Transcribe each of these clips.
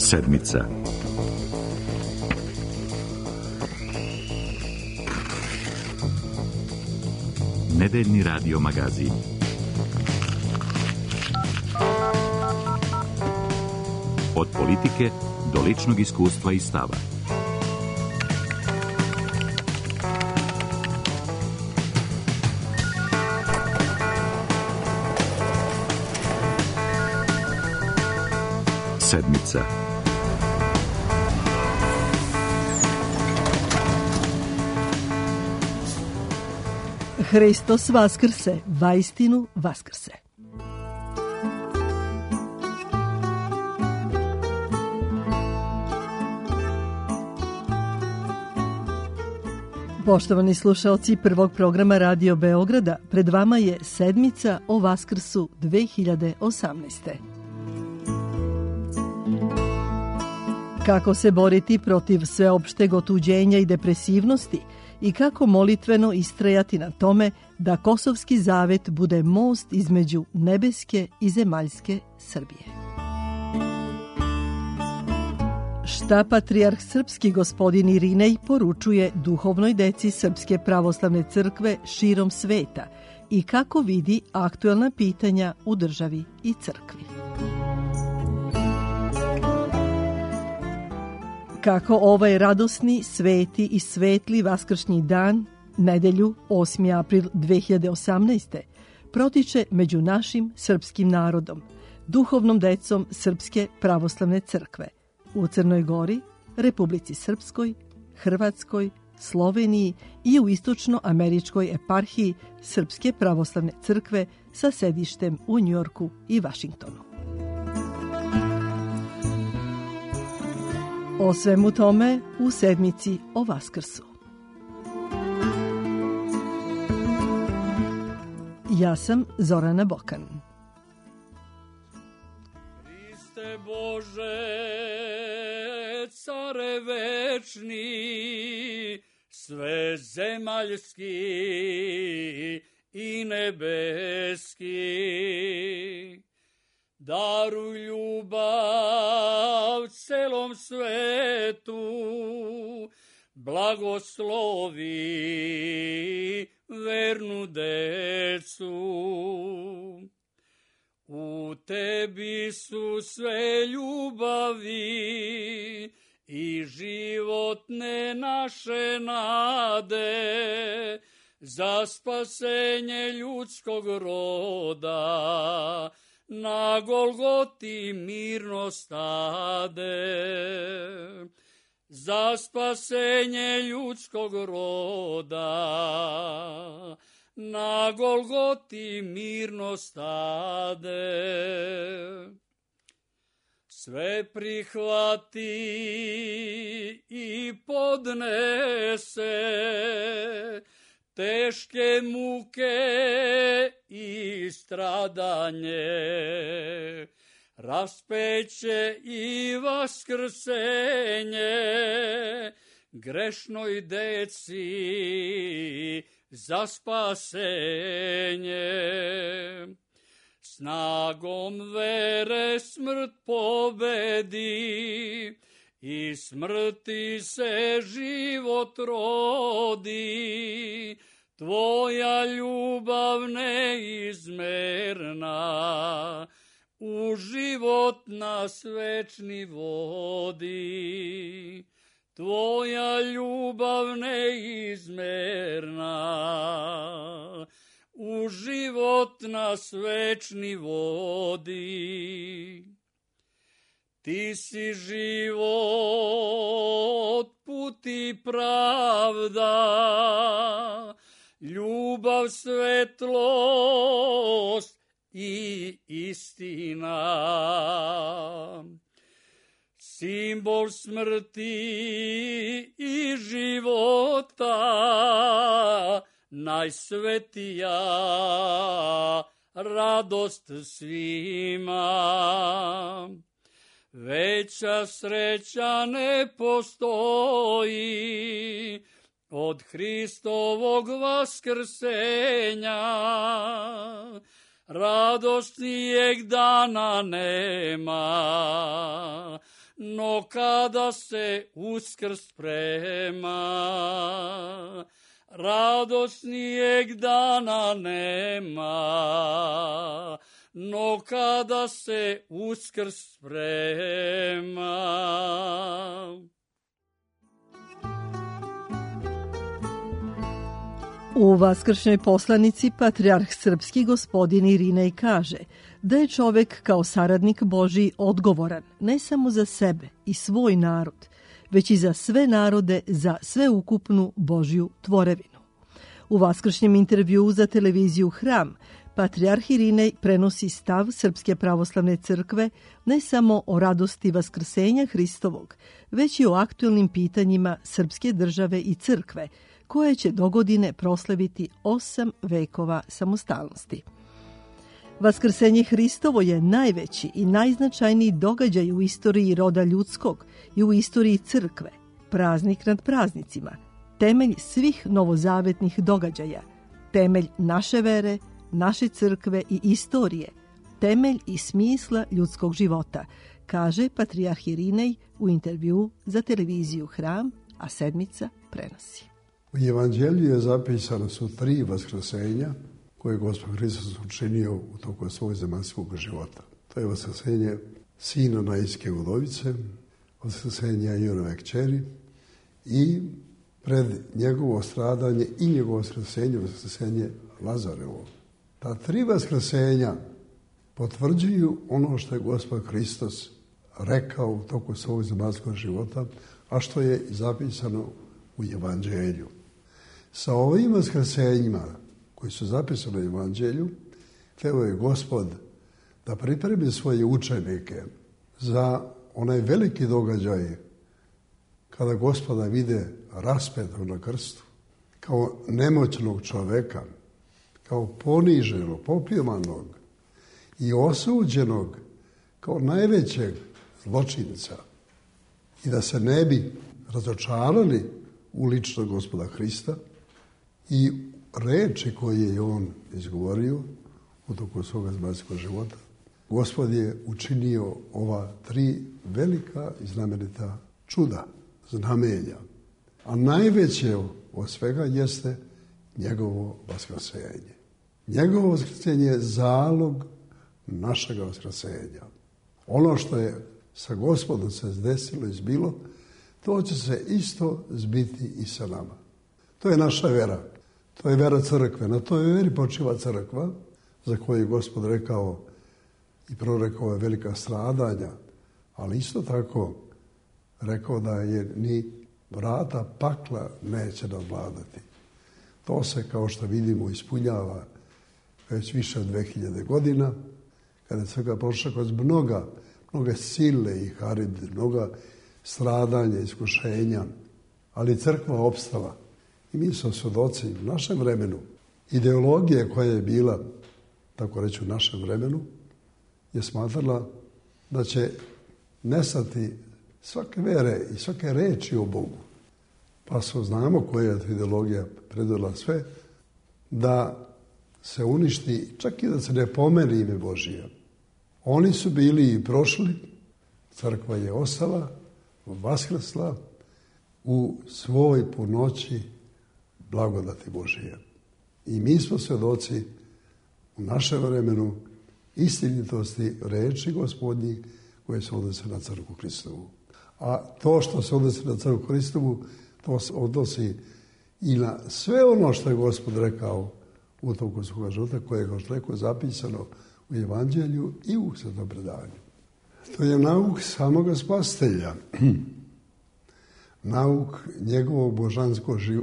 Sedmica. Nedeljni radio magazin. Od politike do ličnog iskustva i stava. Sedmica. Hristos vaskrse, vaistinu vaskrse. Poštovani slušaoci prvog programa Radio Beograda, pred vama je sedmica o Vaskrsu 2018. Kako se boriti protiv sveopšteg otuđenja i depresivnosti i kako molitveno istrajati na tome da Kosovski zavet bude most između nebeske i zemaljske Srbije. Šta patrijarh srpski gospodin Irinej poručuje duhovnoj deci Srpske pravoslavne crkve širom sveta i kako vidi aktuelna pitanja u državi i crkvi. Kako ovaj radosni, sveti i svetli vaskršnji dan, nedelju 8. april 2018. protiče među našim srpskim narodom, duhovnom decom Srpske pravoslavne crkve u Crnoj Gori, Republici Srpskoj, Hrvatskoj, Sloveniji i u istočnoameričkoj eparhiji Srpske pravoslavne crkve sa sedištem u Njujorku i Vašingtonu. O svemu tome u sedmici o Vaskrsu. Ja sam Zorana Bokan. Hriste Bože, care večni, svezemaljski i nebeski, daruj ljubav celom svetu, blagoslovi vernu decu. U tebi su sve ljubavi i životne naše nade, za spasenje ljudskog roda na Golgoti mirno stade. Za spasenje ljudskog roda na Golgoti mirno stade. Sve prihvati i podnese, teške muke i stradanje, raspeće i vaskrsenje, grešnoj deci za spasenje. Snagom vere smrt pobedi i smrti se život rodi, tvoja ljubav neizmerna u život nas večni vodi. Tvoja ljubav neizmerna u život nas večni vodi. Ti si život, put i pravda, ljubav, svetlost i istina. Simbol smrti i života, najsvetija radost svima. Veća sreća ne postoji od Hristovog vaskrsenja. Radosnijeg dana nema, no kada se Uskrs sprema, radosnijeg dana nema, no kada se Uskrs sprema. U vaskršnjoj poslanici patrijarh srpski gospodin Irinej kaže da je čovek kao saradnik Božji odgovoran ne samo za sebe i svoj narod, već i za sve narode, za sveukupnu Božju tvorevinu. U vaskršnjem intervjuu za televiziju Hram, patrijarh Irinej prenosi stav Srpske pravoslavne crkve ne samo o radosti vaskrsenja Hristovog, već i o aktuelnim pitanjima srpske države i crkve, koje će dogodine proslaviti 8 vekova samostalnosti. Vaskrsenje Hristovo je najveći i najznačajniji događaj u istoriji roda ljudskog i u istoriji crkve, praznik nad praznicima, temelj svih novozavetnih događaja, temelj naše vere, naše crkve i istorije, temelj i smisla ljudskog života, kaže patrijarh Irinej u intervjuu za televiziju Hram, a sedmica prenosi. U Evanđelju je zapisano su 3 vaskrsenja koje je Gospod Hristos učinio u toku svog zemaljskog života. To je vaskrsenje sina Nainske udovice, vaskrsenje Ionove kćeri i pred njegovo stradanje i njegovo vaskrsenje Lazarevo. Ta 3 vaskrsenja potvrđuju ono što je Gospod Hristos rekao u toku svog zemaljskog života, a što je zapisano u Evanđelju. Sa ovim vaskrsenjima koji su zapisani u Evanđelju, hteo je Gospod da pripremi svoje učenike za onaj veliki događaj kada Gospoda vide raspetog na krstu, kao nemoćnog čoveka, kao poniženog, popljemanog i osuđenog kao najvećeg zločinca, i da se ne bi razočarali u ličnog Gospoda Hrista i reči koje je on izgovorio u toku svoga zemaljskog života. Gospod je učinio ova 3 velika i znamenita čuda, znamenja. A najveće od svega jeste njegovo vaskrsenje. Njegovo vaskrsenje je zalog našega vaskrsenja. Ono što je sa Gospodom se desilo i zbilo, to će se isto zbiti i sa nama. To je naša vera. To je vera crkve. Na toj veri počiva crkva, za koju je Gospod rekao i prorekao je velika stradanja, ali isto tako rekao da je ni vrata pakla neće nadvladati. To se, kao što vidimo, ispunjava već više od 2000 godina, kada je crkva prošla kroz mnoge sile i haride, mnoga stradanja, iskušenja, ali crkva opstala. I mi smo svjedoci u našem vremenu. Ideologija koja je bila, tako reći, u našem vremenu, je smatrala da će nestati svake vere i svake reči o Bogu. Pa znamo koja je ideologija predvodila sve, da se uništi, čak i da se ne pomeni ime Božije. Oni su bili i prošli, crkva je ostala, vaskrsla u svoj punoći blagodati Božije. I mi smo svjedoci u našem vremenu istinitosti reči Gospodnji koje se odnose na crkvu Hristovu. A to što se odnosi na crkvu Hristovu, to se odnosi i na sve ono što je Gospod rekao u toku svoga života, koje je, kao što rekao, zapisano u Evanđelju i u Svetom predanju. To je nauk samoga Spasitelja. Nauk njegovog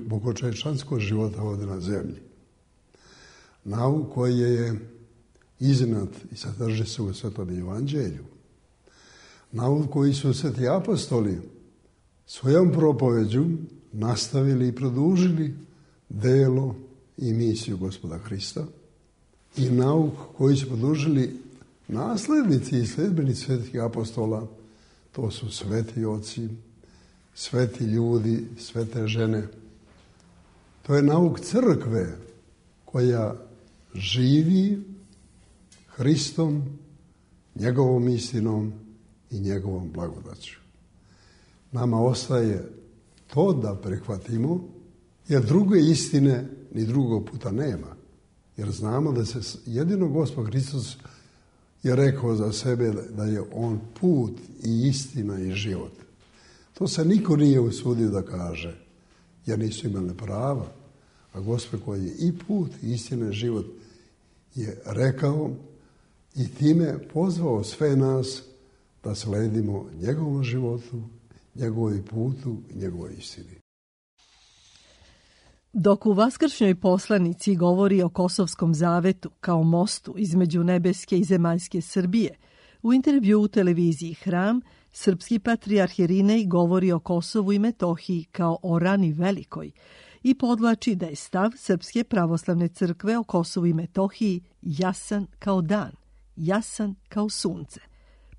bogočovječanskog života ovdje na zemlji. Nauk koji je iznad i sadrži se u Svetom Evanđelju. Nauk koji su sveti apostoli svojom propoveđu nastavili i produžili delo i misiju Gospoda Hrista. I nauk koji su produžili naslednici i sledbenici svetih apostola, to su sveti oci, sveti ljudi, svete žene. To je nauk crkve koja živi Hristom, njegovom istinom i njegovom blagodaću. Nama ostaje to da prihvatimo, jer druge istine ni drugog puta nema. Jer znamo da se jedino Gospod Hristos je rekao za sebe da je on put i istina i život. To se niko nije usudio da kaže, jer nisu imali prava. A Gospod koji je i put, i istina i život je rekao i time pozvao sve nas da sledimo njegovom životu, njegovoj putu i njegovoj istini. Dok u vaskršnjoj poslanici govori o Kosovskom zavetu kao mostu između nebeske i zemaljske Srbije, u intervju u televiziji Hram, srpski patrijarh Irinej govori o Kosovu i Metohiji kao o rani velikoj i podvlači da je stav Srpske pravoslavne crkve o Kosovu i Metohiji jasan kao dan, jasan kao sunce.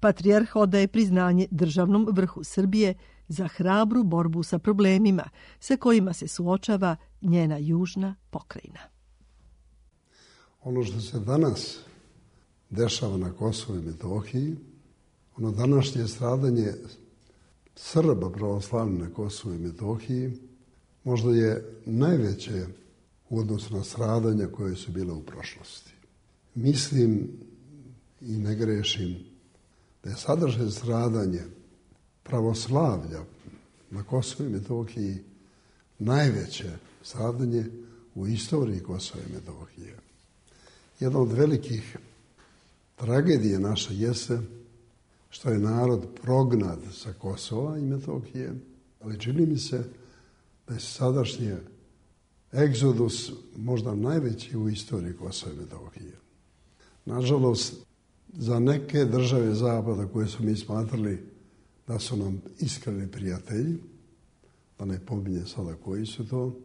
Patrijarh odaje priznanje državnom vrhu Srbije za hrabru borbu sa problemima sa kojima se suočava njena južna pokrajina. Ono što se danas dešava na Kosovu i Metohiji, ono današnje stradanje Srba pravoslavne na Kosovu i Metohiji, možda je najveće u odnosu na stradanja koje su bile u prošlosti. Mislim i ne grešim da je sadržaj stradanje pravoslavlja na Kosovu i Metohiji najveće stradanje u istoriji Kosova i Metohije. Jedna od velikih tragedije naše jeste što je narod prognat sa Kosova i Metohije, ali čini mi se da je sadašnji egzodus možda najveći u istoriji Kosova i Metohije. Nažalost, za neke države Zapada koje su mi smatrali da su nam iskreni prijatelji, da ne pominje sada koji su to,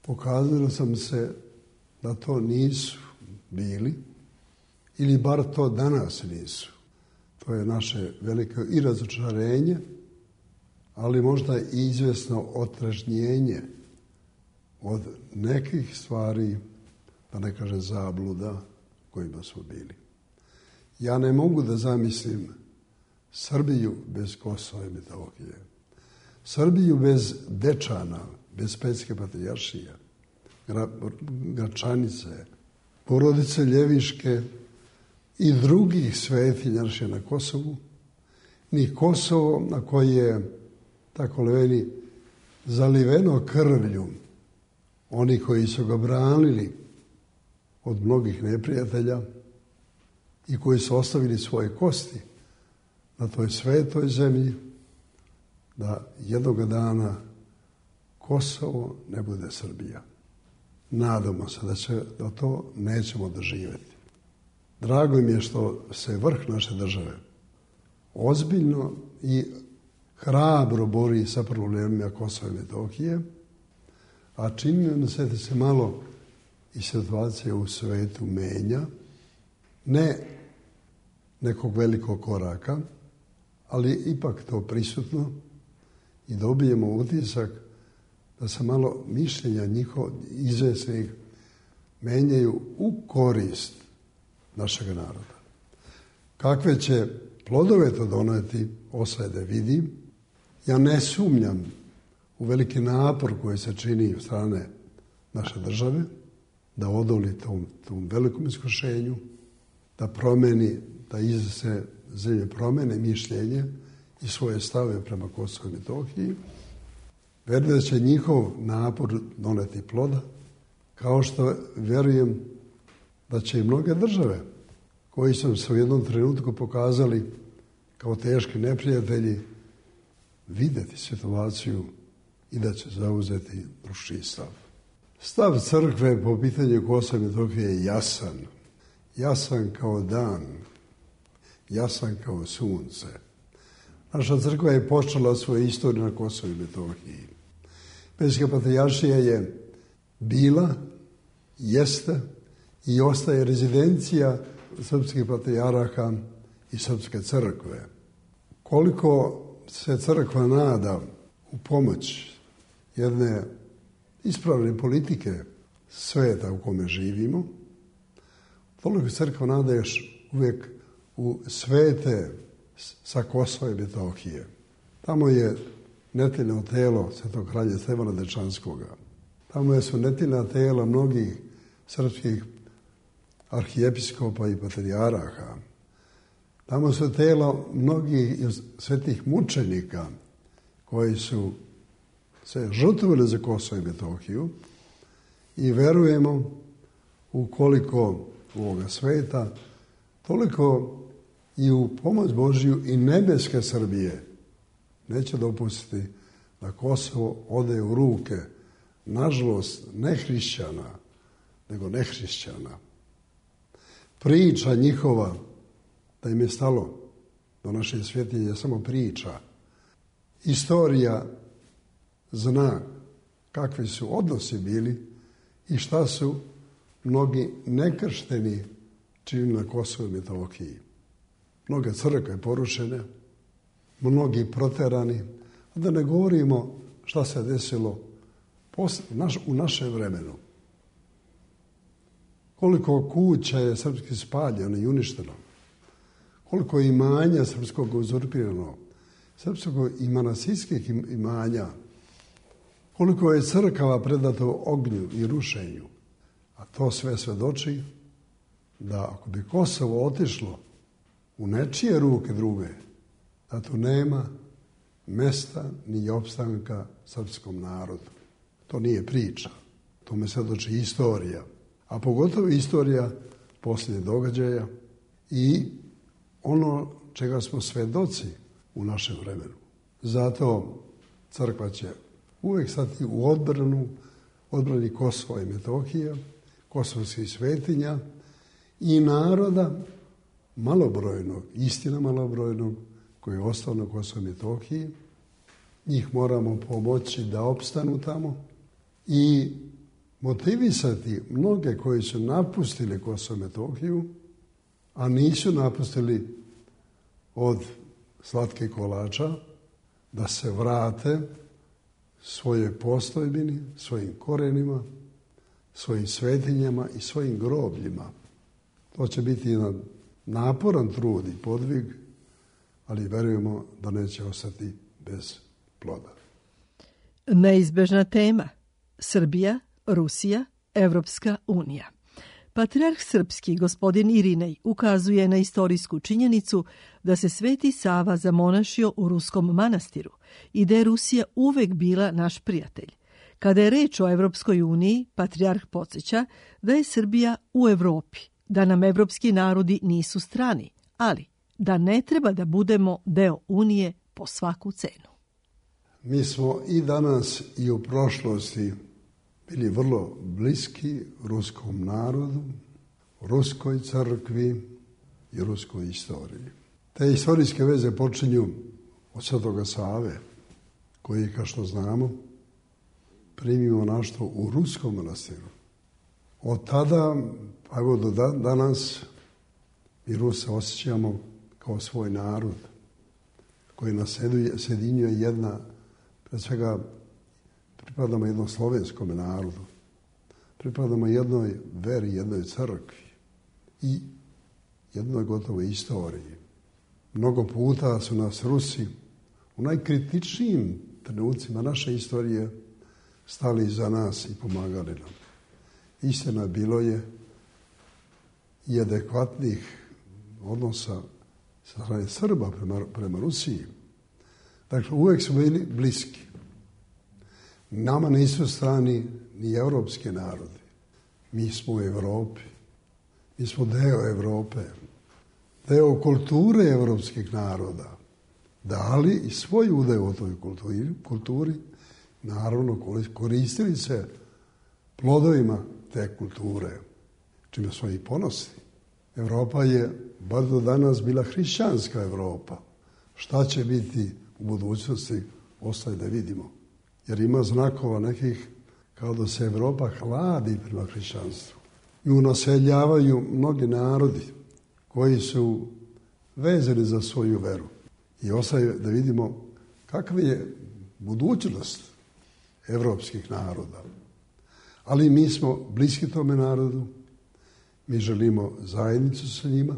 pokazalo sam se da to nisu bili, ili bar to danas nisu. To je naše veliko i razočarenje, ali možda i izvjesno otrežnjenje od nekih stvari, da ne kaže zabluda, kojima smo bili. Ja ne mogu da zamislim Srbiju bez Kosova i Metohije. Srbiju bez Dečana, bez Pećke patrijaršije, Gračanice, porodice Ljeviške i drugih svetinja na Kosovu, ni Kosovo na koje je, tako leveni, zaliveno krvlju oni koji su ga branili od mnogih neprijatelja i koji su ostavili svoje kosti na toj svetoj zemlji, da jednog dana Kosovo ne bude Srbija. Nadamo se da to nećemo doživjeti. Drago mi je što se vrh naše države ozbiljno i hrabro bori sa problemima Kosova i Metohije, a čini mi se da se malo i situacija u svetu menja, ne nekog velikog koraka, ali ipak to prisutno i dobijemo utisak da se malo mišljenja izvesnih menjaju u korist našeg naroda. Kakve će plodove to doneti, ostaje da vidim. Ja ne sumnjam u veliki napor koji se čini od strane naše države, da odoli tom velikom iskušenju, da promeni, da se zemlje promene mišljenje i svoje stave prema Kosovu i Metohiji. Verujem da će njihov napor doneti ploda, kao što verujem da će i mnoge države koji su se u jednom trenutku pokazali kao teški neprijatelji vidjeti situaciju i da će zauzeti drugačiji stav. Stav crkve po pitanju Kosova i Metohije je jasan. Jasan kao dan, jasan kao sunce. Naša crkva je počela svoju istoriju na Kosovu i Metohiji. Pećka patrijaršija je bila, jeste i ostaje rezidencija srpskih patrijaraha i srpske crkve. Koliko se crkva nada u pomoć jedne ispravne politike sveta u kome živimo, toliko crkva nada još uvijek u svete sa Kosova i Metohije. Tamo je neteljno telo svetog kralja Stefana Dečanskoga. Tamo su neteljna tela mnogih srpskih arhijepiskopa i patrijaraha. Tamo su tela mnogih svetih mučenika koji su se žrtvovali za Kosovo i Metohiju i verujemo ukoliko ovoga sveta, toliko i u pomoć Božju i nebeske Srbije neće dopustiti da Kosovo ode u ruke, nažalost, ne hrišćana, nego nehrišćana. Priča njihova da im je stalo do naše svjetinje je samo priča. Istorija zna kakvi su odnosi bili i šta su mnogi nekršteni činili na Kosovu i Metohiji. Mnoge crkve porušene, mnogi proterani, a da ne govorimo šta se desilo u našem vremenu. Koliko kuća je srpski spaljeno i uništeno, koliko imanja srpskog uzurpirano, srpskog i manastirskih imanja, koliko je crkava predato ognju i rušenju. A to sve svedoči da ako bi Kosovo otišlo u nečije ruke druge, da tu nema mesta ni opstanka srpskom narodu. To nije priča, to me svedoči istorija, a pogotovo istorija posljednjih događaja i ono čega smo svedoci u našem vremenu. Zato crkva će uvijek stati u odbrani Kosova i Metohije, kosovskih svetinja i naroda malobrojnog, istina malobrojnog, koji je ostao na Kosovo i Metohiji. Njih moramo pomoći da opstanu tamo i motivisati mnoge koji su napustili Kosovo i Metohiju, a nisu napustili od slatkih kolača, da se vrate svojoj postojbini, svojim korenima, svojim svetinjama i svojim grobljima. To će biti jedan naporan trud i podvig, ali verujemo da neće ostati bez ploda. Neizbežna tema. Srbija, Rusija, Evropska unija. Patrijarh srpski, gospodin Irinej, ukazuje na istorijsku činjenicu da se Sveti Sava zamonašio u ruskom manastiru i da je Rusija uvek bila naš prijatelj. Kada je reč o Evropskoj uniji, patrijarh podsjeća da je Srbija u Evropi, da nam evropski narodi nisu strani, ali da ne treba da budemo deo Unije po svaku cenu. Mi smo i danas i u prošlosti bili vrlo bliski ruskom narodu, ruskoj crkvi i ruskoj istoriji. Te istorijske veze počinju od Svetoga Save, koji, kao što znamo, primio monaštvo u ruskom manastiru. Od tada, pa evo do danas, mi Ruse osjećamo kao svoj narod, koji nas sjedinjuje jedna, pred svega pripadamo jednom slovenskom narodu, pripadamo jednoj veri, jednoj crkvi i jednoj gotovoj istoriji. Mnogo puta su nas Rusi u najkritičnijim trenucima naše istorije stali iza nas i pomagali nam. Istina, bilo je i adekvatnih odnosa sa strane Srba prema Rusiji. Dakle, uvijek smo bili bliski. Nama nisu strani ni evropski narodi. Mi smo u Evropi. Mi smo deo Evrope. Deo kulture evropskih naroda. Dali i svoj udeo u toj kulturi. Naravno, koristili se plodovima te kulture, čime smo i ponosni. Evropa je, bar do danas, bila hrišćanska Evropa. Šta će biti u budućnosti, ostaje da vidimo. Jer ima znakova nekih kao da se Evropa hladi prema hrišćanstvu. Nju naseljavaju mnogi narodi koji su vezani za svoju veru. I ostaje da vidimo kakva je budućnost evropskih naroda. Ali mi smo bliski tome narodu, mi želimo zajednicu sa njima.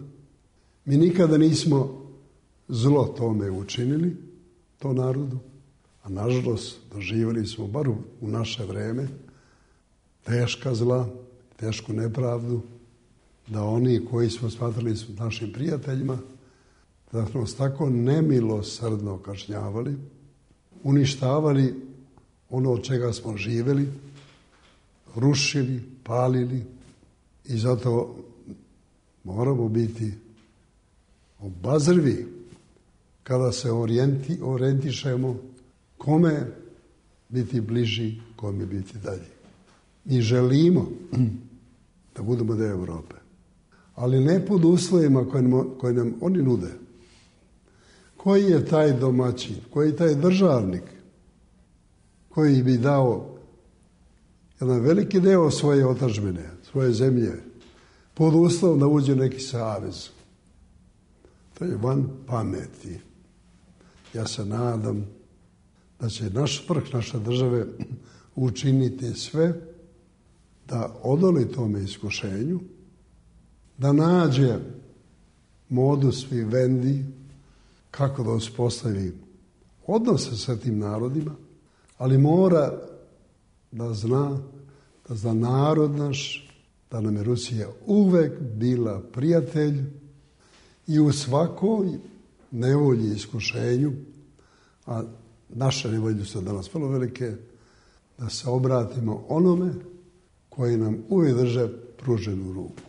Mi nikada nismo zlo tome učinili, to narodu, A nažalost doživjeli smo, bar u naše vreme, teška zla, tešku nepravdu, da oni koji smo smatrali našim prijateljima, da smo nas tako nemilosrdno kažnjavali, uništavali ono od čega smo živjeli, rušili, palili i zato moramo biti obazrivi kada se orijentišemo kome biti bliži, kome biti dalje. Mi želimo da budemo deo Europe, ali ne pod uslovima koje nam oni nude. Koji je taj domaćin, koji je taj državnik koji bi dao jedan veliki deo svoje otadžbine, svoje zemlje, pod uslovom da uđe neki savez? To je van pameti. Ja se nadam da će naš vrh naše države učiniti sve da odoli tome iskušenju, da nađe modus vivendi kako da uspostavi odnose sa tim narodima, ali mora da zna narod naš, da nam je Rusija uvek bila prijatelj i u svakoj nevolji i iskušenju, a naše nevolje su danas vrlo velike, da se obratimo onome koji nam uvijek drže pruženu ruku.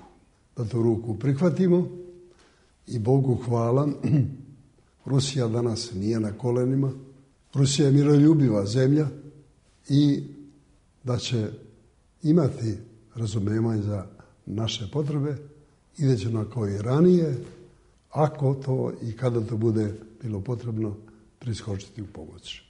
Da tu ruku prihvatimo i Bogu hvala, Rusija danas nije na kolenima, Rusija je miroljubiva zemlja i da će imati razumevanje za naše potrebe i da će na koji ranije, ako to i kada to bude bilo potrebno, priskočiti u pomoć.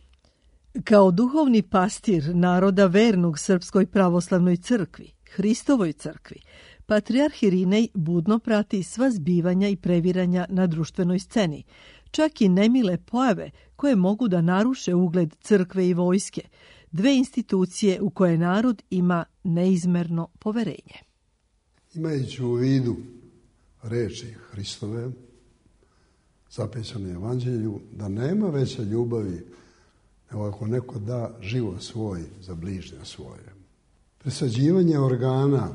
Kao duhovni pastir naroda vernog Srpskoj pravoslavnoj crkvi, Hristovoj crkvi, patrijarh Irinej budno prati sva zbivanja i previranja na društvenoj sceni, čak i nemile pojave koje mogu da naruše ugled crkve i vojske, dve institucije u koje narod ima neizmerno poverenje. Imajući u vidu reči Hristove, zapisane u Evanđelju, da nema veće ljubavi nego ako neko da život svoj za bližnje svoje. Presađivanje organa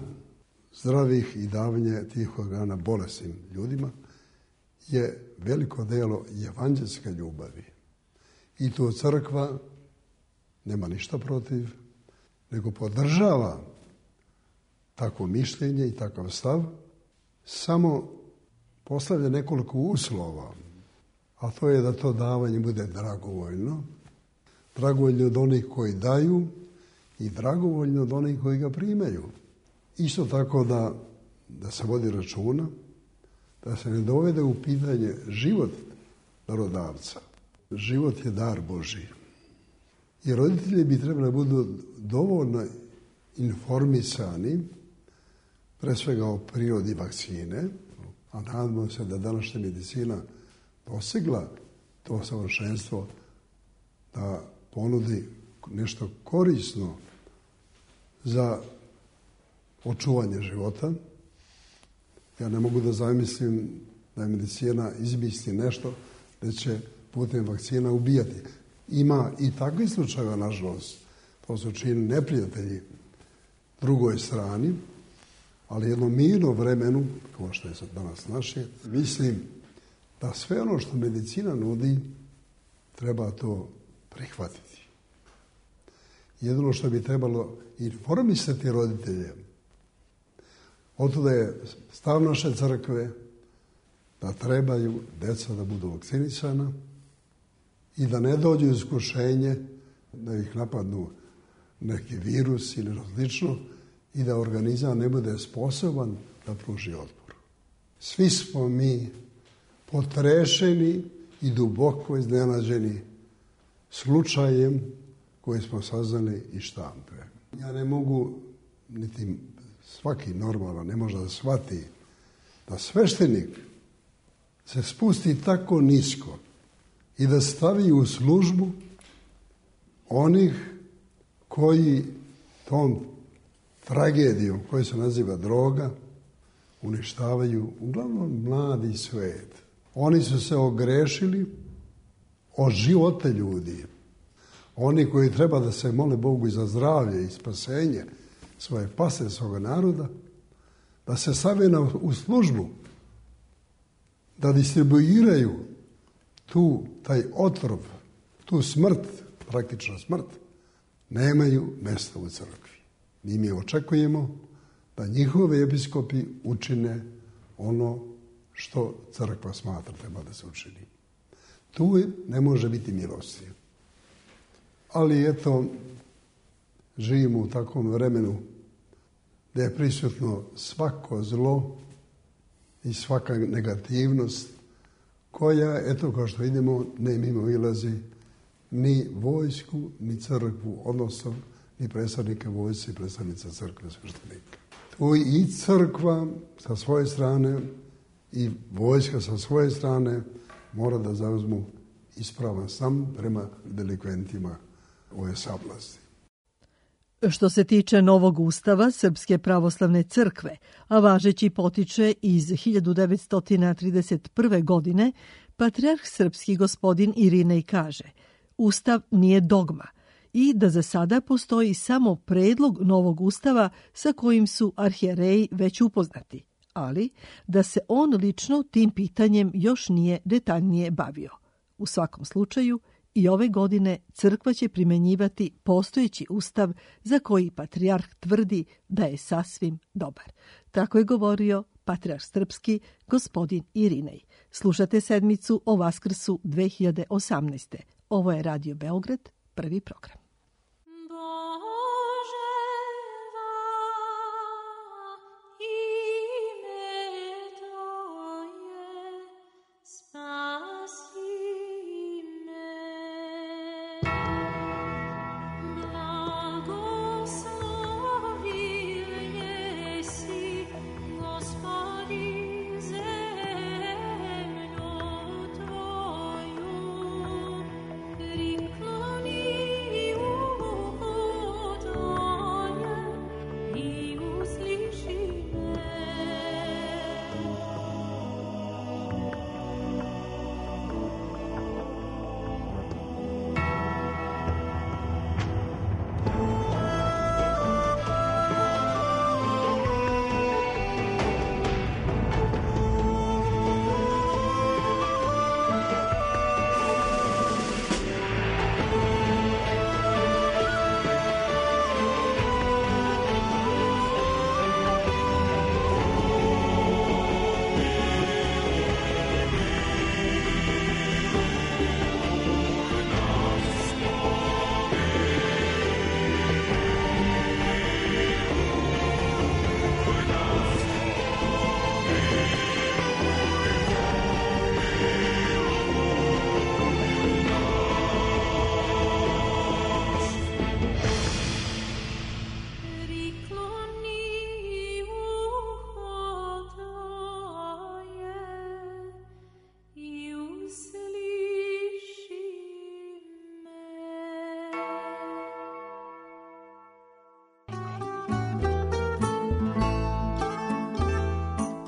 zdravih i davanje tih organa bolesnim ljudima je veliko delo evanđelske ljubavi. I tu crkva nema ništa protiv, nego podržava takvo mišljenje i takav stav, samo postavlja nekoliko uslova, a to je da to davanje bude dragovoljno, dragovoljno od onih koji daju i dragovoljno od onih koji ga primaju. Isto tako da se vodi računa, da se ne dovede u pitanje život darodavca. Život je dar Božji. I roditelji bi trebali da budu dovoljno informisani, pre svega o prirodi vakcine, a nadamo se da današnja medicina posegla to savršenstvo da ponudi nešto korisno za očuvanje života. Ja ne mogu da zamislim da je medicina izmisli nešto da će putem vakcina ubijati. Ima i takvih slučajeva, nažalost. To su činili neprijatelji drugoj strani, ali jednom mirnom vremenu, kao što je sad danas naše, mislim da sve ono što medicina nudi, treba to prihvatiti. Jedino što bi trebalo informisati roditelje, otuda je stav naše crkve da trebaju deca da budu vakcinisana i da ne dođu u iskušenje da ih napadnu neki virus ili različno i da organizam ne bude sposoban da pruži otpor. Svi smo mi potrešeni i duboko iznenađeni slučajem koji smo saznali iz štampe. Ja ne mogu, niti svaki normalan ne može da shvati da sveštenik se spusti tako nisko i da stavi u službu onih koji tom tragedijom koja se naziva droga uništavaju uglavnom mladi svet. Oni su se ogrešili o živote ljudi, Oni koji treba da se mole Bogu za zdravlje i spasenje svoje pase, svoga naroda, da se stave u službu, da distribuiraju taj otrov, tu smrt, praktično smrt, nemaju mjesta u crkvi. Mi očekujemo da njihovi episkopi učine ono što crkva smatra treba da se učini. Tu ne može biti milosti. Ali eto, živimo u takvom vremenu da je prisutno svako zlo i svaka negativnost koja, eto kao što vidimo, ne mimoilazi ni vojsku, ni crkvu, odnosno ni predstavnike vojsce i predstavnica crkve sveštenika. Tu i crkva sa svoje strane i vojska sa svoje strane mora da zauzmu ispravan stav prema delikventima ove sablasti. Što se tiče novog ustava Srpske pravoslavne crkve, a važeći potiče iz 1931. godine, patrijarh srpski gospodin Irinej kaže: Ustav nije dogma i da za sada postoji samo predlog novog ustava sa kojim su arhijereji već upoznati, ali da se on lično tim pitanjem još nije detaljnije bavio. U svakom slučaju, i ove godine crkva će primjenjivati postojeći ustav za koji patrijarh tvrdi da je sasvim dobar. Tako je govorio patrijarh srpski gospodin Irinej. Slušate sedmicu o Vaskrsu 2018. Ovo je Radio Beograd, prvi program.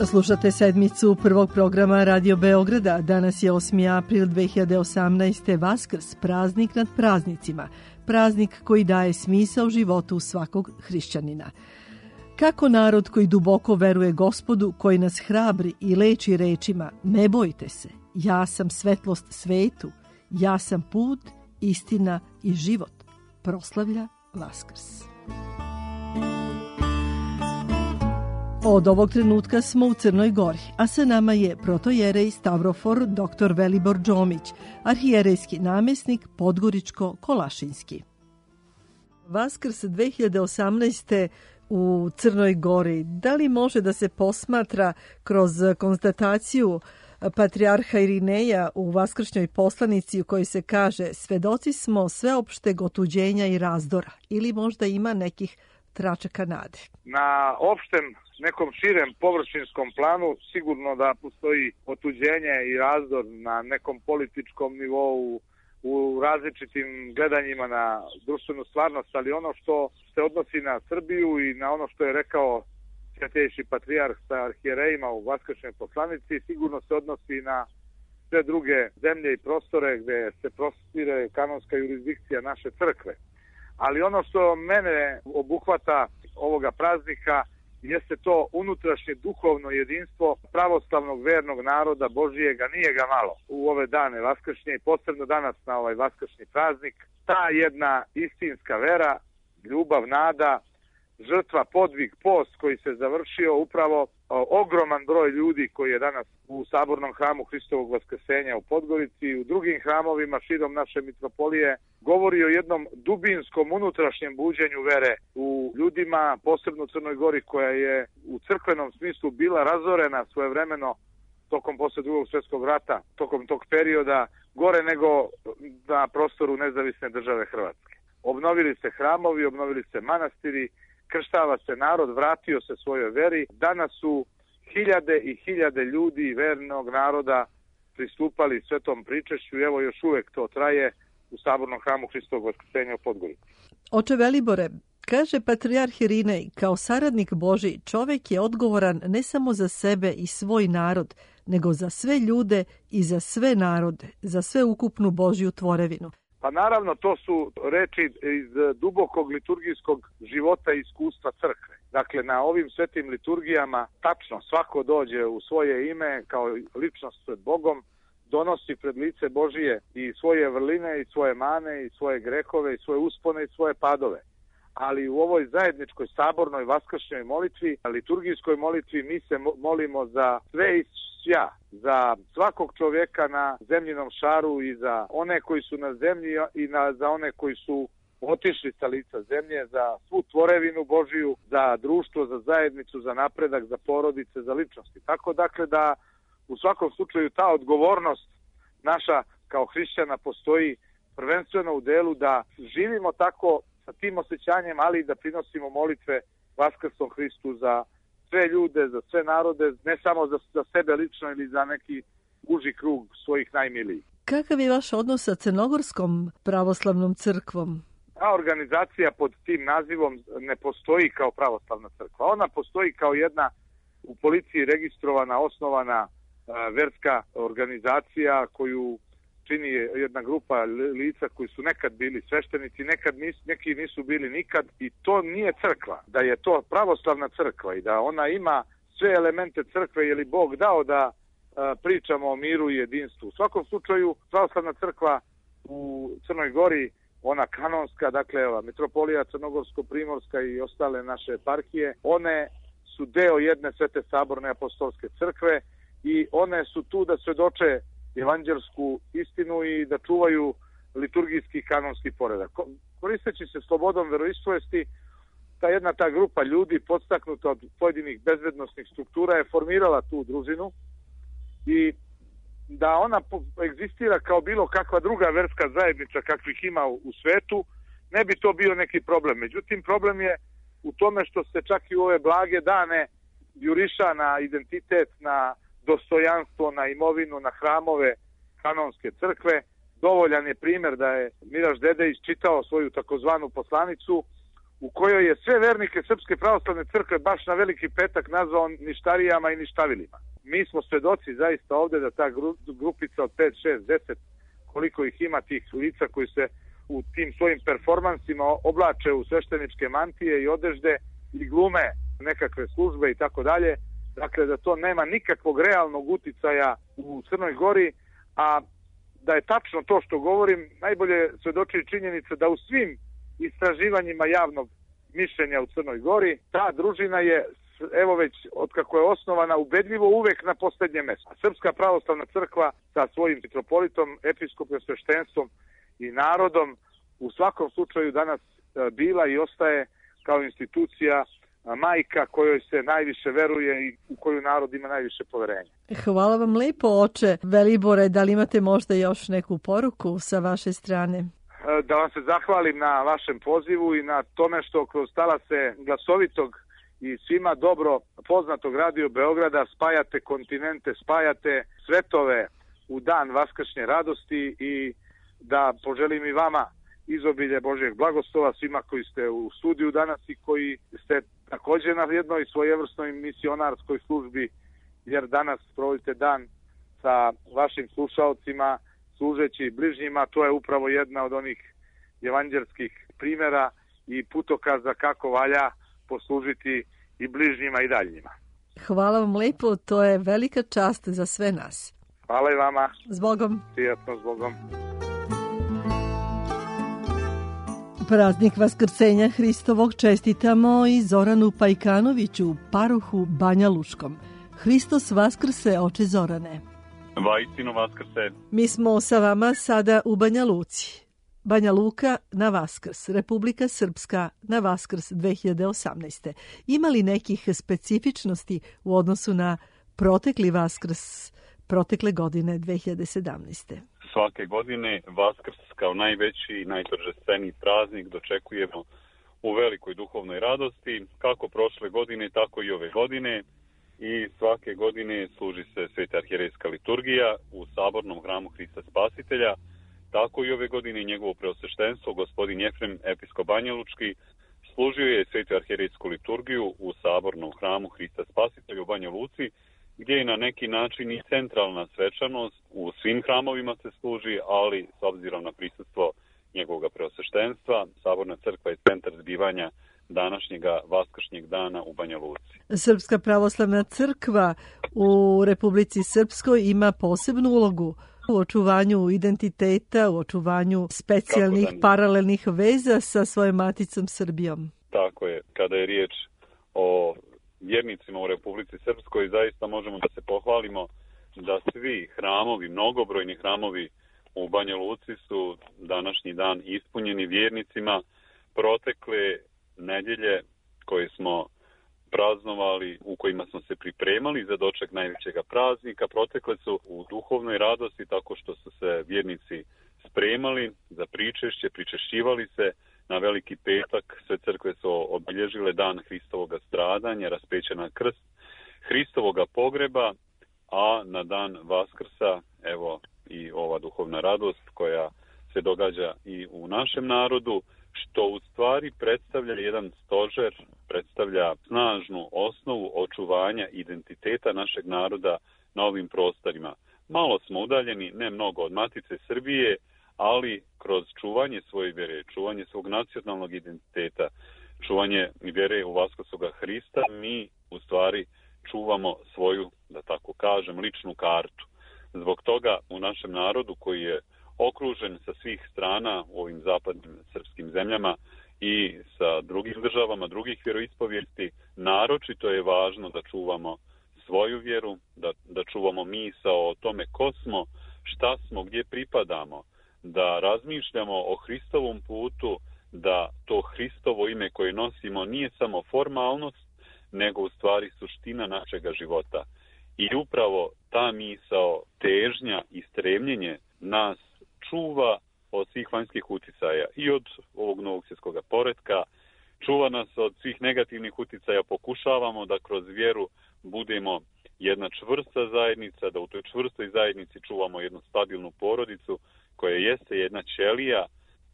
Slušate sedmicu prvog programa Radio Beograda. Danas je 8. april 2018. Vaskrs, praznik nad praznicima. Praznik koji daje smisao životu svakog hrišćanina. Kako narod koji duboko veruje Gospodu, koji nas hrabri i leči rečima: ne bojte se, ja sam svetlost svetu, ja sam put, istina i život, proslavlja Vaskrs. Od ovog trenutka smo u Crnoj Gori, a sa nama je protojerej Stavrofor dr. Velibor Džomić, arhijerejski namjesnik Podgoričko-Kolašinski. Vaskrs 2018. u Crnoj Gori, da li može da se posmatra kroz konstataciju patrijarha Irineja u vaskršnjoj poslanici u kojoj se kaže: svedoci smo sveopšteg otuđenja i razdora, ili možda ima nekih tračaka nade? Na opštem nekom širem površinskom planu sigurno da postoji otuđenje i razdor na nekom političkom nivou, u različitim gledanjima na društvenu stvarnost, ali ono što se odnosi na Srbiju i na ono što je rekao svetejši patrijarh sa arhijerejima u vaskršnjoj poslanici sigurno se odnosi na sve druge zemlje i prostore gde se prostire kanonska jurisdikcija naše crkve. Ali ono što mene obuhvata ovoga praznika jeste to unutrašnje duhovno jedinstvo pravoslavnog vernog naroda Božijega, nije ga malo u ove dane vaskršnje i posebno danas na ovaj vaskršnji praznik. Ta jedna istinska vera, ljubav, nada, žrtva, podvig, post koji se završio upravo ogroman broj ljudi koji je danas u Sabornom hramu Hristovog Vaskrsenja u Podgorici i u drugim hramovima širom naše mitropolije govori o jednom dubinskom unutrašnjem buđenju vere u ljudima, posebno u Crnoj Gori koja je u crkvenom smislu bila razorena svojevremeno tokom posle Drugog svjetskog rata, tokom tog perioda, gore nego na prostoru nezavisne države Hrvatske. Obnovili se hramovi, obnovili se manastiri, krštava se narod, vratio se svojoj veri. Danas su hiljade i hiljade ljudi vernog naroda pristupali svetom pričešću i evo još uvek to traje u Sabornom hramu Hristovog Vaskrsenja u Podgorici. Oče Velibore, kaže patrijarh Irinej, kao saradnik Božji čovjek je odgovoran ne samo za sebe i svoj narod, nego za sve ljude i za sve narode, za sve ukupnu Božju tvorevinu. Pa naravno, to su reči iz dubokog liturgijskog života i iskustva crkve. Dakle, na ovim svetim liturgijama tačno svako dođe u svoje ime kao ličnost pred Bogom, donosi pred lice Božije i svoje vrline i svoje mane i svoje grehove i svoje uspone i svoje padove. Ali u ovoj zajedničkoj sabornoj vaskršnjoj molitvi, liturgijskoj molitvi, mi se molimo za sve i svja, za svakog čovjeka na zemljinom šaru i za one koji su na zemlji i za one koji su otišli sa lica zemlje, za svu tvorevinu Božiju, za društvo, za zajednicu, za napredak, za porodice, za ličnosti. Tako dakle da u svakom slučaju ta odgovornost naša kao hrišćana postoji prvenstveno u delu da živimo tako sa tim osjećanjem, ali i da prinosimo molitve Vaskrslom Hristu za sve ljude, za sve narode, ne samo za sebe lično ili za neki uži krug svojih najmilijih. Kakav je vaš odnos sa Crnogorskom pravoslavnom crkvom? Ta organizacija pod tim nazivom ne postoji kao pravoslavna crkva. Ona postoji kao jedna u policiji registrovana, osnovana verska organizacija koju čini jedna grupa lica koji su nekad bili sveštenici, neki nisu bili nikad i to nije crkva. Da je to pravoslavna crkva i da ona ima sve elemente crkve, je li Bog dao da pričamo o miru i jedinstvu. U svakom slučaju pravoslavna crkva u Crnoj Gori, ona kanonska, dakle mitropolija Crnogorsko-Primorska i ostale naše eparhije, one su deo jedne svete saborne apostolske crkve i one su tu da svedoče evanđelsku istinu i da čuvaju liturgijski kanonski poredak. Koristeći se slobodom veroispovesti, ta grupa ljudi podstaknuta od pojedinih bezbednosnih struktura je formirala tu družinu i da ona egzistira kao bilo kakva druga verska zajednica kakvih ima u svetu, ne bi to bio neki problem. Međutim, problem je u tome što se čak i u ove blage dane juriša na identitet, na dostojanstvo, na imovinu, na hramove kanonske crkve. Dovoljan je primjer da je Miraš Dedejić čitao svoju takozvanu poslanicu u kojoj je sve vernike Srpske pravoslavne crkve baš na Veliki petak nazvao ništarijama i ništavilima. Mi smo svedoci zaista ovdje da ta grupica od 5, 6, 10, koliko ih ima tih lica koji se u tim svojim performansima oblače u svešteničke mantije i odežde i glume nekakve službe i tako dalje. Dakle, da to nema nikakvog realnog uticaja u Crnoj Gori, a da je tačno to što govorim, najbolje svedoči činjenica da u svim istraživanjima javnog mišljenja u Crnoj Gori, ta družina je, evo već otkako je osnovana, ubedljivo uvek na posljednjem mjestu. Srpska pravoslavna crkva sa svojim mitropolitom, episkopom, sveštenstvom i narodom u svakom slučaju danas bila i ostaje kao institucija majka kojoj se najviše veruje i u koju narod ima najviše poverenja. Hvala vam lijepo, oče Velibore. Da li imate možda još neku poruku sa vaše strane? Da vam se zahvalim na vašem pozivu i na tome što kroz talase glasovitog i svima dobro poznatog Radio Beograda spajate kontinente, spajate svetove u dan vaskršnje radosti i da poželim i vama izobilje Božjeg blagoslova svima koji ste u studiju danas i koji ste također na jednoj svojevrsnoj misionarskoj službi, jer danas provodite dan sa vašim slušalcima, služeći bližnjima. To je upravo jedna od onih evanđelskih primjera i putokaza kako valja poslužiti i bližnjima i daljnjima. Hvala vam lepo, to je velika čast za sve nas. Hvala i vama. Zbogom. Prijatno, zbogom. Praznik Vaskrsenja Hristovog čestitamo i Zoranu Pajkanoviću, paruhu Banja Lučkom. Hristos vaskrse, oče Zorane. Vaistinu vaskrse. Mi smo sa vama sada u Banja Luci. Banja Luka na Vaskrs, Republika Srpska na Vaskrs 2018. Ima li nekih specifičnosti u odnosu na protekli Vaskrs protekle godine 2017. Svake godine Vaskrs kao najveći i najtržestveniji praznik dočekujemo u velikoj duhovnoj radosti, kako prošle godine, tako i ove godine. I svake godine služi se Sveta arhijerejska liturgija u Sabornom hramu Hrista Spasitelja. Tako i ove godine njegovo preosveštenstvo, gospodin Jefrem, episkop Banjalučki, služio je Svetu arhijerejsku liturgiju u Sabornom hramu Hrista Spasitelja u Banja Luci, gdje je na neki način i centralna svečanost. U svim hramovima se služi, ali s obzirom na prisustvo njegovog preosveštenstva, Saborna crkva je centar zbivanja današnjega vaskršnjeg dana u Banja Luci. Srpska pravoslavna crkva u Republici Srpskoj ima posebnu ulogu u očuvanju identiteta, u očuvanju specijalnih paralelnih veza sa svojom maticom Srbijom. Tako je. Kada je riječ o vjernicima u Republici Srpskoj, zaista možemo da se pohvalimo da svi hramovi, mnogobrojni hramovi u Banja Luci su današnji dan ispunjeni vjernicima. Protekle nedjelje koje smo praznovali, u kojima smo se pripremali za doček najvećega praznika, protekle su u duhovnoj radosti tako što su se vjernici spremali za pričešće, pričešćivali se. Na Veliki petak sve crkve su obilježile dan Hristovoga stradanja, raspeća na krst, Hristovoga pogreba, a na dan Vaskrsa, evo i ova duhovna radost koja se događa i u našem narodu, što u stvari predstavlja jedan stožer, predstavlja snažnu osnovu očuvanja identiteta našeg naroda na ovim prostorima. Malo smo udaljeni, ne mnogo od Matice Srbije, ali kroz čuvanje svoje vjere, čuvanje svog nacionalnog identiteta, čuvanje vjere u Vaskrsoga Hrista, mi u stvari čuvamo svoju, da tako kažem, ličnu kartu. Zbog toga u našem narodu koji je okružen sa svih strana u ovim zapadnim srpskim zemljama i sa drugim državama, drugih vjeroispovijesti, naročito je važno da čuvamo svoju vjeru, da čuvamo misao o tome ko smo, šta smo, gdje pripadamo, da razmišljamo o Hristovom putu, da to Hristovo ime koje nosimo nije samo formalnost, nego u stvari suština našega života. I upravo ta misao, težnja i stremljenje nas čuva od svih vanjskih uticaja i od ovog novog svjetskog poretka, čuva nas od svih negativnih uticaja, pokušavamo da kroz vjeru budemo jedna čvrsta zajednica, da u toj čvrstoj zajednici čuvamo jednu stabilnu porodicu koja jeste jedna ćelija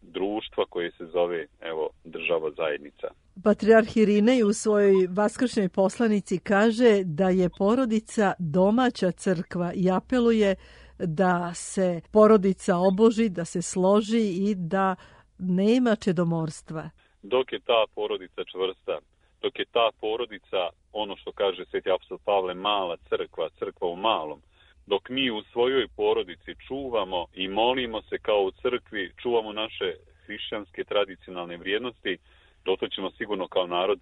društva koje se zove, evo, država zajednica. Patrijarh Irinej u svojoj vaskršnjoj poslanici kaže da je porodica domaća crkva i apeluje da se porodica oboži, da se složi i da nema čedomorstva. Dok je ta porodica čvrsta, dok je ta porodica, ono što kaže sveti apostol Pavle, mala crkva, crkva u malom, dok mi u svojoj porodici čuvamo i molimo se kao u crkvi, čuvamo naše hrišćanske tradicionalne vrijednosti, dotle ćemo sigurno kao narod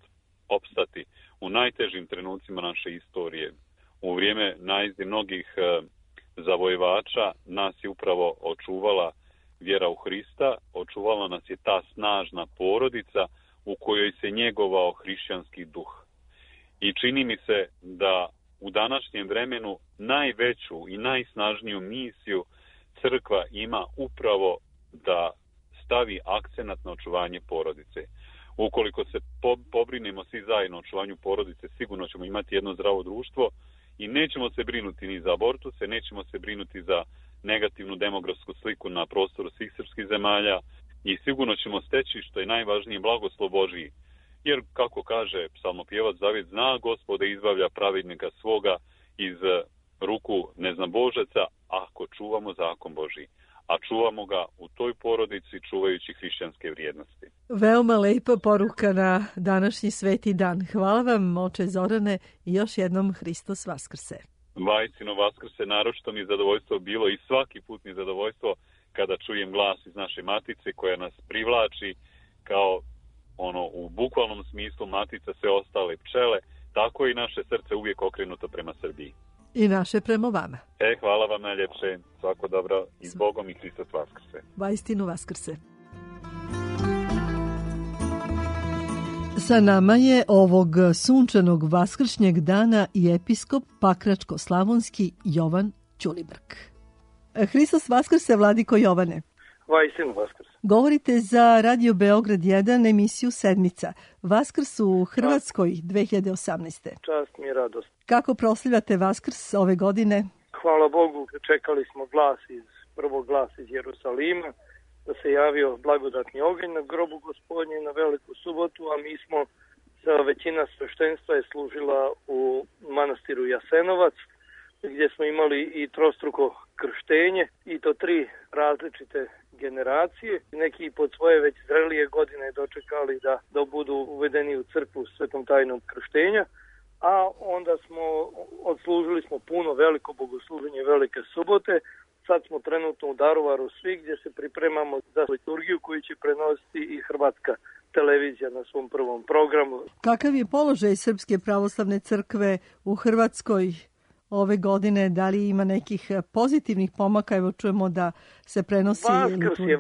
opstati u najtežim trenucima naše istorije. U vrijeme najezde mnogih zavojevača nas je upravo očuvala vjera u Hrista, očuvala nas je ta snažna porodica u kojoj se njegovao hrišćanski duh. I čini mi se da u današnjem vremenu najveću i najsnažniju misiju crkva ima upravo da stavi akcenat na očuvanje porodice. Ukoliko se pobrinemo svi zajedno o očuvanju porodice, sigurno ćemo imati jedno zdravo društvo i nećemo se brinuti ni za abortuse, nećemo se brinuti za negativnu demografsku sliku na prostoru svih srpskih zemalja i sigurno ćemo steći, što je najvažnije, blagoslov Božiji. Jer, kako kaže psalmopjevac David, zna Gospode izbavlja pravednika svoga iz ruku neznabožaca ako čuvamo zakon Božji. A čuvamo ga u toj porodici čuvajući hrišćanske vrijednosti. Veoma lepa poruka na današnji sveti dan. Hvala vam, oče Zorane, i još jednom Hristos Vaskrse. Vajsino Vaskrse, naročito mi je zadovoljstvo bilo i svaki put mi je zadovoljstvo kada čujem glas iz naše matice koja nas privlači kao u bukvalnom smislu matica sve ostale pčele, tako i naše srce uvijek okrenuto prema Srbiji. I naše prema vama. Hvala vam najljepše. Svako dobro i s Bogom i Hristos Vaskrse. Vajstinu Vaskrse. Sa nama je ovog sunčanog vaskršnjeg dana i episkop Pakračko-slavonski Jovan Ćulibrk. Hristos Vaskrse, vladiko Jovane. Vajstinu Vaskrse. Govorite za Radio Beograd 1 emisiju Sedmica. Vaskrs u Hrvatskoj 2018. Čast mi je radost. Kako proslavljate Vaskrs ove godine? Hvala Bogu, čekali smo prvog glas iz Jerusalima, da se javio blagodatni oganj na grobu Gospodnje na Veliku subotu, a mi smo, većina sveštenstva je služila u manastiru Jasenovac, gdje smo imali i trostruko krštenje, i to 3 različite generacije. Neki pod svoje već zrelije godine dočekali da budu uvedeni u crkvu svetom tajnom krštenja, a onda odslužili smo puno veliko bogosluženje Velike subote. Sad smo trenutno u Daruvaru svi, gdje se pripremamo za liturgiju koju će prenositi i Hrvatska televizija na svom prvom programu. Kakav je položaj Srpske pravoslavne crkve u Hrvatskoj ove godine? Da li ima nekih pozitivnih pomaka? Evo čujemo da se prenosi liturgija.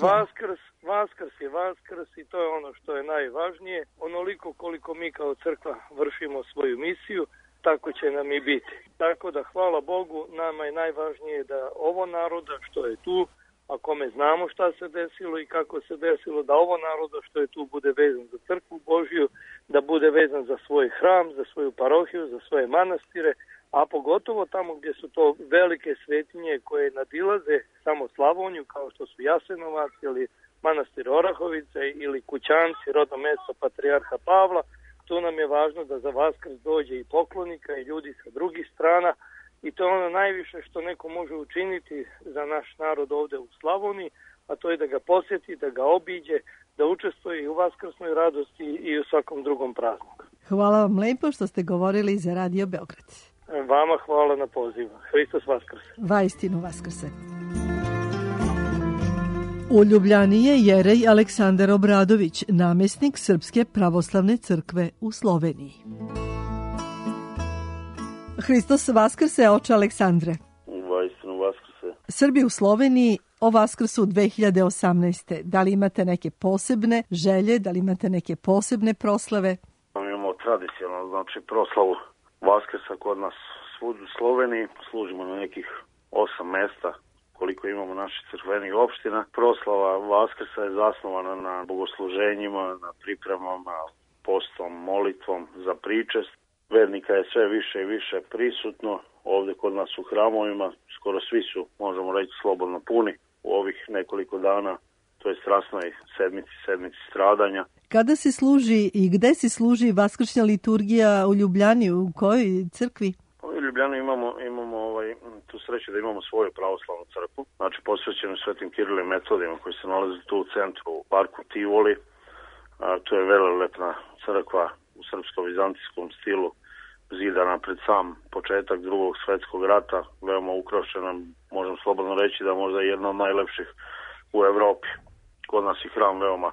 Vaskrs je Vaskrs i to je ono što je najvažnije. Onoliko koliko mi kao crkva vršimo svoju misiju, tako će nam i biti. Tako da hvala Bogu, nama je najvažnije da ovo naroda što je tu, a kome znamo šta se desilo i kako se desilo, da ovo naroda što je tu bude vezan za crkvu Božju, da bude vezan za svoj hram, za svoju parohiju, za svoje manastire, a pogotovo tamo gdje su to velike svetinje koje nadilaze samo Slavoniju, kao što su Jasenovac ili manastir Orahovice ili Kućanci, rodno mjesto patrijarha Pavla. Tu nam je važno da za Vaskrs dođe i poklonika i ljudi sa drugih strana, i to je ono najviše što neko može učiniti za naš narod ovdje u Slavoniji, a to je da ga posjeti, da ga obiđe, da učestvuje i u vaskrsnoj radosti i u svakom drugom prazniku. Hvala vam lepo što ste govorili za Radio Beograd. Vama hvala na pozivu. Hristos Vaskrse. Vajstinu Vaskrse. U Ljubljani je jerej Aleksandar Obradović, namjesnik Srpske pravoslavne crkve u Sloveniji. Hristos Vaskrse, oče Aleksandre. Vajstinu Vaskrse. Srbi u Sloveniji o Vaskrsu 2018. Da li imate neke posebne želje, da li imate neke posebne proslave? Imamo tradicionalno, proslavu Vaskrsa kod nas svud u Sloveniji. Služimo na nekih 8 mesta koliko imamo naših crkvenih opština. Proslava Vaskrsa je zasnovana na bogosluženjima, na pripremama, postom, molitvom za pričest. Vernika je sve više i više prisutno. Ovdje kod nas u hramovima skoro svi su, možemo reći, slobodno puni u ovih nekoliko dana, to je strasnoj sedmici stradanja. Kada se služi i gde se služi vaskršnja liturgija u Ljubljani, u kojoj crkvi? U Ljubljani imamo tu sreću da imamo svoju pravoslavnu crkvu, znači posvećenu Svetim Kirilu i Metodima koji se nalazi tu u centru, u parku Tivoli. To je velelepna crkva u srpsko-vizantijskom stilu, zidana pred sam početak Drugog svjetskog rata, veoma ukrašena, možemo slobodno reći da možda je jedna od najlepših u Evropi. Kod nas je hram veoma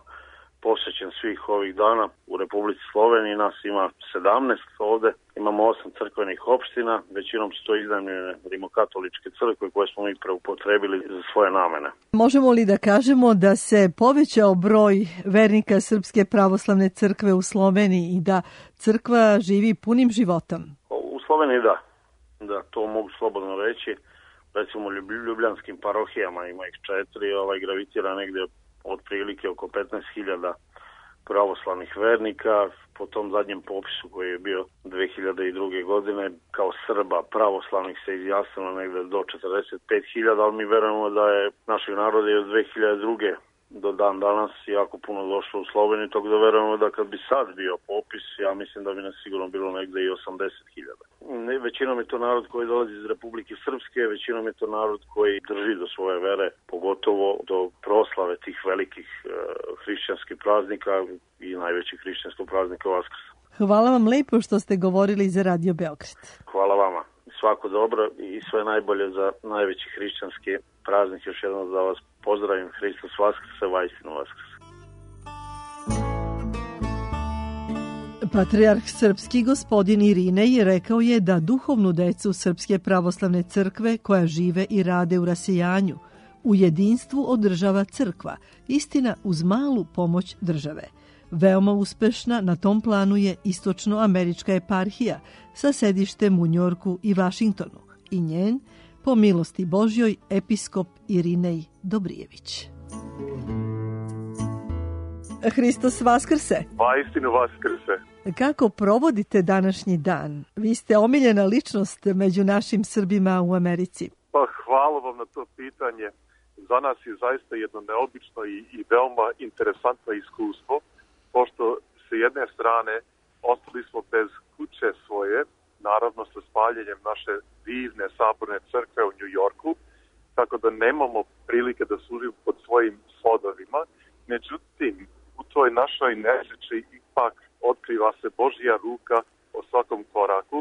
posvećen svih ovih dana. U Republici Sloveniji nas ima 17 ovde, imamo 8 crkvenih opština, većinom su to iznajmljene rimokatoličke crkve koje smo mi preupotrebili za svoje namene. Možemo li da kažemo da se povećao broj vernika Srpske pravoslavne crkve u Sloveniji i da crkva živi punim životom? U Sloveniji da, to mogu slobodno reći. Recimo u ljubljanskim parohijama ima ih 4, gravitira negdje otprilike oko 15.000 pravoslavnih vernika. Po tom zadnjem popisu koji je bio 2002. godine kao Srba pravoslavnih se izjasnilo negdje do 45.000, ali mi verujemo da je našeg naroda od 2002. do dan danas jako puno došlo u Sloveniju, tako da verujemo da kad bi sad bio popis, ja mislim da bi nas sigurno bilo negde i 80.000. Većinom je to narod koji dolazi iz Republike Srpske, većinom je to narod koji drži do svoje vere, pogotovo do proslave tih velikih hrišćanskih praznika i najvećih hrišćanskog praznika Vaskrsa. Hvala vam lepo što ste govorili za Radio Beograd. Hvala vama. Svako dobro i sve najbolje za najveći hrišćanski praznik. Još jednom da vas pozdravim. Hristos Vaskrse, vajstinu Vaskrse. Patrijarh srpski gospodin Irinej rekao je da duhovnu decu Srpske pravoslavne crkve koja žive i rade u rasijanju u jedinstvu održava crkva, istina uz malu pomoć države. Veoma uspešna na tom planu je istočnoamerička eparhija sa sedištem u Njorku i Vašingtonu i njen, po milosti Božjoj, episkop Irinej Dobrijević. Hristos Vaskrse! Vajstinu Vaskrse! Kako provodite današnji dan? Vi ste omiljena ličnost među našim Srbima u Americi. Pa hvala vam na to pitanje. Za nas je zaista jedno neobično i veoma interesantno iskustvo, pošto sa jedne strane ostali smo bez kuće svoje, naravno sa spaljenjem naše divne saborne crkve u New Yorku, tako da nemamo prilike da služimo pod svojim svodovima. Međutim, u toj našoj nesreći ipak otkriva se Božja ruka o svakom koraku,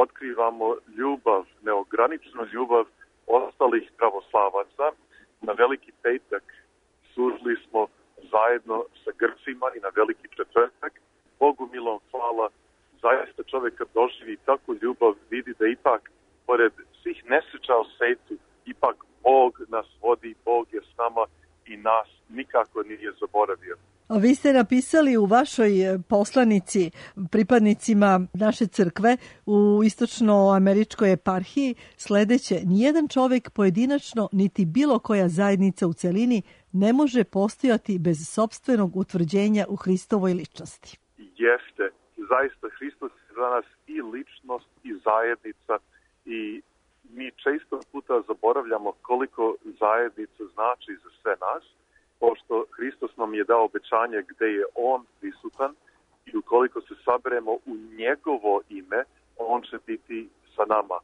otkrivamo ljubav, neograničenu ljubav ostalih pravoslavaca. Na Veliki petak služili smo zajedno sa Grcima i na Veliki četvrtak. Bogu milom hvala, zaista čovjek kad doživi takvu ljubav vidi da ipak, pored svih nesreća u svetu, ipak Bog nas vodi, Bog je s nama i nas nikako nije zaboravio. Vi ste napisali u vašoj poslanici pripadnicima naše crkve u istočnoameričkoj eparhiji sledeće: nijedan čovjek pojedinačno niti bilo koja zajednica u celini ne može postojati bez sopstvenog utvrđenja u Hristovoj ličnosti. Jeste, zaista Hristos je za nas i ličnost i zajednica i mi često puta zaboravljamo koliko zajednica znači za sve nas, pošto Hristos nam je dao obećanje gde je On prisutan i ukoliko se saberemo u njegovo ime, On će biti sa nama.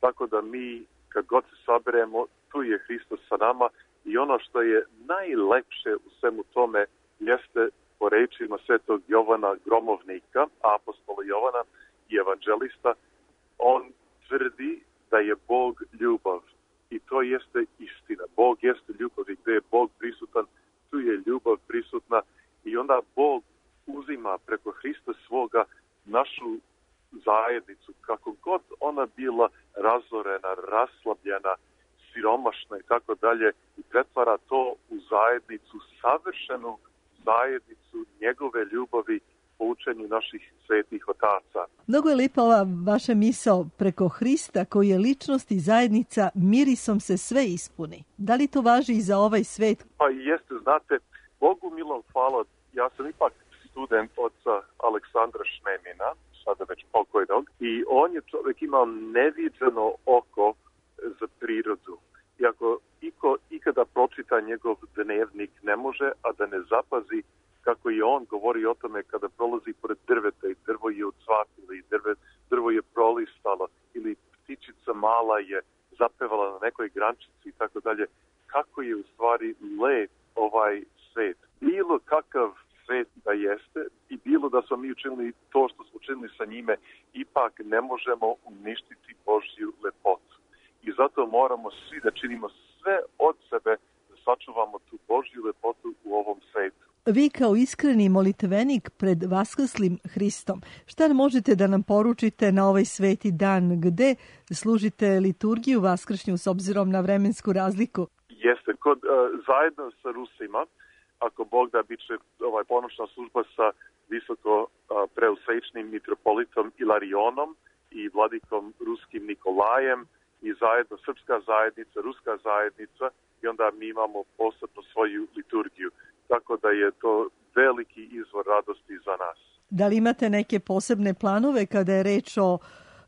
Tako da mi, kad god se saberemo, tu je Hristos sa nama i ono što je najlepše u svemu tome jeste, po rečima svetog Jovana Gromovnika, apostola Jovana i evanđelista, on tvrdi da je Bog ljubav. I to jeste istina. Bog jeste ljubav i gde je Bog prisutan, tu je ljubav prisutna i onda Bog uzima preko Hrista svoga našu zajednicu, kako god ona bila razorena, raslabljena, siromašna i tako dalje, i pretvara to u zajednicu, savršenu zajednicu njegove ljubavi po učenju naših svetih otaca. Mnogo je lijepa ova vaša misao preko Hrista koji je ličnost i zajednica, mirisom se sve ispuni. Da li to važi i za ovaj svet? Pa jeste, znate, Bogu milom hvala, ja sam ipak student oca Aleksandra Šnemina, sada već pokojnog, i on je čovjek imao neviđeno oko za prirodu. I ako ikada pročita njegov dnevnik, ne može, a da ne zapazi kako je on govori o tome kada prolazi pored drveta i drvo je ucvatilo i drvo je prolistalo ili ptičica mala je zapevala na nekoj grančici i tako dalje. Kako je u stvari lep ovaj svet. Bilo kakav svet da jeste i bilo da smo mi učinili to što smo učinili sa njime, ipak ne možemo uništiti Božju lepotu. I zato moramo svi da činimo sve od sebe da sačuvamo tu Božju lepotu u ovom svetu. Vi kao iskreni molitvenik pred vaskrslim Hristom, šta možete da nam poručite na ovaj sveti dan gde služite liturgiju vaskršnju s obzirom na vremensku razliku? Jeste, zajedno sa Rusima, ako Bog da, bit će ponoćna služba sa visoko preusvečnim mitropolitom Ilarionom i vladikom ruskim Nikolajem i zajedno srpska zajednica, ruska zajednica i onda mi imamo posebno svoju liturgiju. Tako da je to veliki izvor radosti za nas. Da li imate neke posebne planove kada je reč o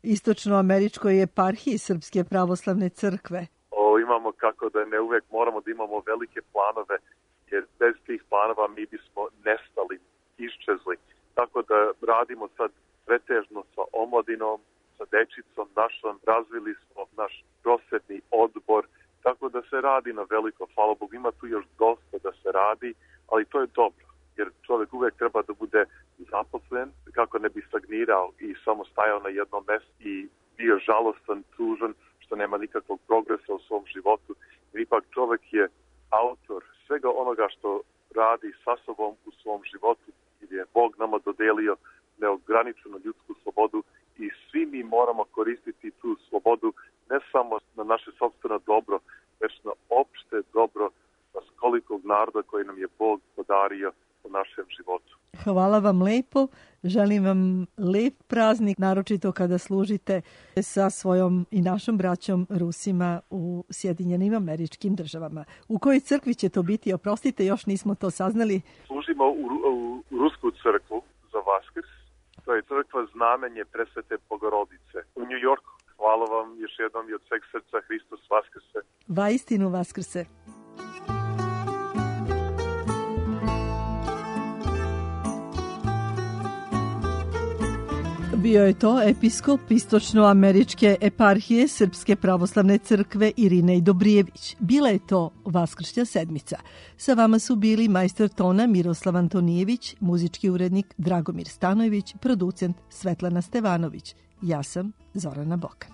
istočnoameričkoj eparhiji Srpske pravoslavne crkve? Imamo, kako da ne uvek moramo da imamo velike planove. jer bez tih planova mi bismo nestali, iščezli. Tako da radimo sad pretežno sa omladinom, sa dečicom našom, razvili smo naš prosvetni odbor, tako da se radi na veliko, hvala Bogu, ima tu još dosta da se radi, ali to je dobro, jer čovjek uvijek treba da bude zaposlen, kako ne bi stagnirao i samo stajao na jednom mjestu i bio žalostan, tužan, što nema nikakvog progresa u svom životu, jer ipak čovjek je autor svega onoga što radi sa sobom u svom životu, jer je Bog nama dodelio neograničenu ljudsku slobodu i svi mi moramo koristiti tu slobodu ne samo na naše sopstveno dobro, već na opšte dobro kolikog naroda koji nam je Bog podario u našem životu. Hvala vam lepo. Želim vam lep praznik, naročito kada služite sa svojom i našom braćom Rusima u Sjedinjenim Američkim Državama. U kojoj crkvi će to biti? Oprostite, još nismo to saznali. Služimo u Rusku crkvu za Vaskrs. To je crkva Znamenje Presvete Bogorodice u New Yorku. Hvala vam još jednom i od sveg srca. Hristos Vaskrse. Vaistinu Vaskrse. Bio je to episkop Istočnoameričke eparhije Srpske pravoslavne crkve Irinej Dobrijević. Bila je to Vaskršnja sedmica. Sa vama su bili majstor tona Miroslav Antonijević, muzički urednik Dragomir Stanojević, producent Svetlana Stevanović. Ja sam Zorana Bokan.